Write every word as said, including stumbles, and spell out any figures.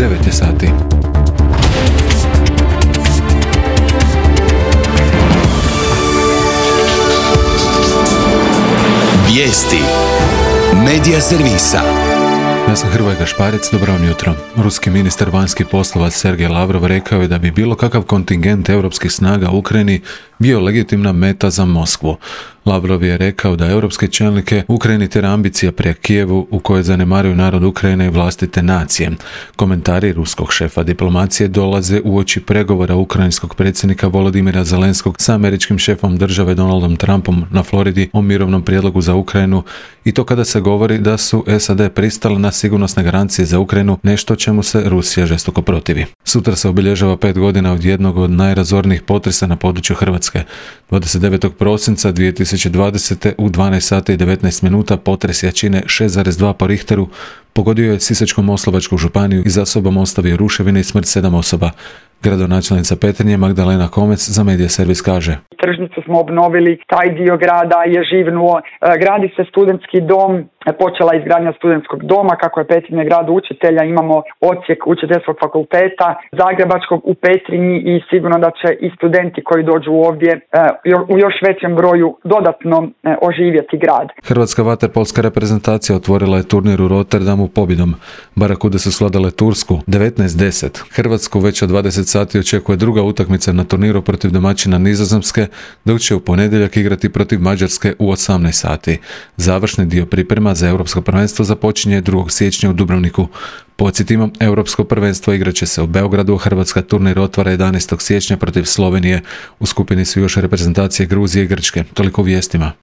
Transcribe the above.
devet je sati. Vijesti Medija servisa. Ja sam Hrvoje Gašparec, dobro vam jutro. Ruski ministar vanjskih poslova Sergej Lavrov rekao je da bi bilo kakav kontingent europskih snaga u Ukrajini bio legitimna meta za Moskvu. Lavrov je rekao da europske čelnike Ukrajini tjera ambicija prema Kijevu u kojoj zanemaruju narod Ukrajine i vlastite nacije. Komentari ruskog šefa diplomacije dolaze uoči pregovora ukrajinskog predsjednika Volodimira Zelenskog sa američkim šefom države Donaldom Trumpom na Floridi o mirovnom prijedlogu za Ukrajinu, i to kada se govori da su S A D pristale na sigurnosne garancije za Ukrajinu, nešto čemu se Rusija žestoko protivi. Sutra se obilježava pet godina od jednog od najrazornijih potresa na području Hrvatske. dvadeset devetog prosinca dvije tisuće dvadesete u dvanaest sati i devetnaest minuta potres jačine šest zarez dva po Richteru pogodio je Sisačko-moslavačku županiju i za sobom ostavio ruševine i smrt sedam osoba. Gradonačelnica Petrinje Magdalena Komec za Medija servis kaže: Tržnicu smo obnovili, taj dio grada je živnuo, gradi se studentski dom, počela je izgradnja studentskog doma, kako je Petrinje grad učitelja, imamo odsjek učiteljskog fakulteta Zagrebačkog u Petrinji i sigurno da će i studenti koji dođu ovdje u još većem broju dodatno oživjeti grad. Hrvatska vaterpolska reprezentacija otvorila je turnir u Rotterdamu pobjedom. Barakude su svladale Tursku devetnaest deset. Hrvatsku već od dvadeset sati očekuje druga utakmica na turniru protiv domaćina Nizozemske, dok će u ponedjeljak igrati protiv Mađarske u osamnaest sati. Završni dio priprema za Europsko prvenstvo započinje drugog siječnja u Dubrovniku. Podsjetimo, Europsko prvenstvo igrat će se u Beogradu, a Hrvatska turnir otvara jedanaestog siječnja protiv Slovenije. U skupini su još reprezentacije Gruzije i Grčke. Toliko u vijestima.